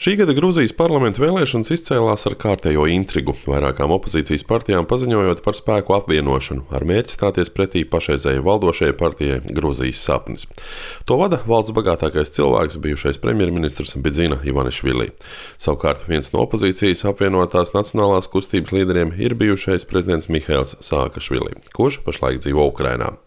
Šī gada Grūzijas parlamenta vēlēšanas izcēlās ar kārtējo intrigu, vairākām opozīcijas partijām paziņojot par spēku apvienošanu, ar mērķi stāties pretī pašreizējai valdošajai partijai Grūzijas sapnis. To vada valsts bagātākais cilvēks, bijušais premjerministrs Bidzina Ivanišvili. Savukārt viens no opozīcijas apvienotās nacionālās kustības līderiem ir bijušais prezidents Mihails Saakašvili, kurš pašlaik dzīvo Ukrainā.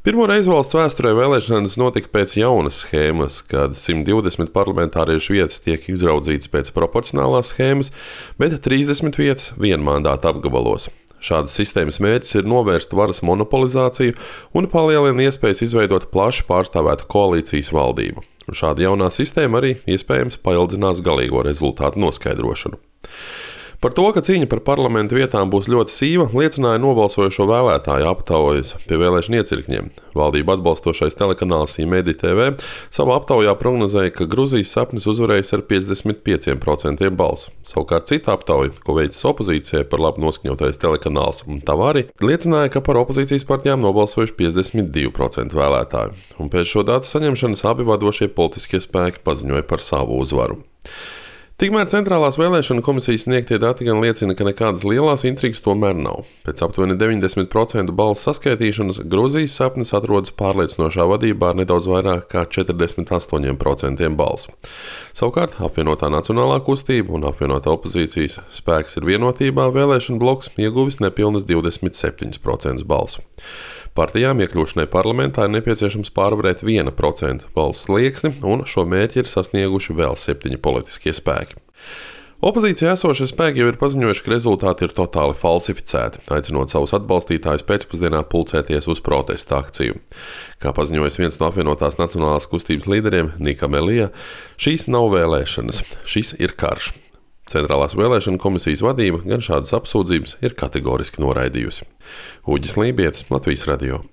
Pirmo reizi valsts vēsturē vēlēšanas notika pēc jaunas schēmas, kad 120 parlamentāriešu vietas tiek izraudzītas pēc proporcionālās schēmas, bet 30 vietas vienmandāta apgabalos. Šādas sistēmas mērķis ir novērst varas monopolizāciju un palielina iespējas izveidot plaši pārstāvētu koalīcijas valdību. Un šāda jaunā sistēma arī iespējams paildzinās galīgo rezultātu noskaidrošanu. Par to, ka cīņa par parlamenta vietām būs ļoti sīva, liecināja nobalsojošo vēlētāju aptaujas pie vēlēšanu iecirkņiem. Valdību atbalstošais telekanāls Imedi TV savā aptaujā prognozēja, ka Grūzijas sapnis uzvarēs ar 55% balsu. Savukārt cita aptauja, ko veicis opozīcijai par labi noskaņotais telekanāls Tavari, liecināja, ka par opozīcijas partijām nobalsojuši 52% vēlētāju. Un pēc šo datu saņemšanas abi vadošie politiskie spēki paziņoja par savu uzvaru. Tikmēr Centrālās vēlēšanu komisijas sniegtie dati gan liecina, ka nekādas lielās intrigas tomēr nav. Pēc aptuveni 90% balsu saskaitīšanas Grūzijas sapnis atrodas pārliecinošā vadībā ar nedaudz vairāk kā 48% balsu. Savukārt apvienotā nacionālā kustība un apvienotā opozīcijas spēks ir vienotībā vēlēšanu bloks ieguvis nepilnas 27% balsu. Partijām iekļūšanai parlamentā ir nepieciešams pārvarēt 1% balsu slieksni, un šo mērķi ir sasnieguši vēl 7 politiskie spēki. Opozīcijā esošie spēki jau ir paziņojuši, ka rezultāti ir totāli falsificēti, aicinot savus atbalstītājus pēcpusdienā pulcēties uz protesta akciju. Kā paziņojis viens no apvienotās nacionālās kustības līderiem, Nika Melija, šīs nav vēlēšanas, šis ir karš. Centrālās vēlēšanu komisijas vadība gan šādas apsūdzības ir kategoriski noraidījusi. Uģis Lībietis, Latvijas radio.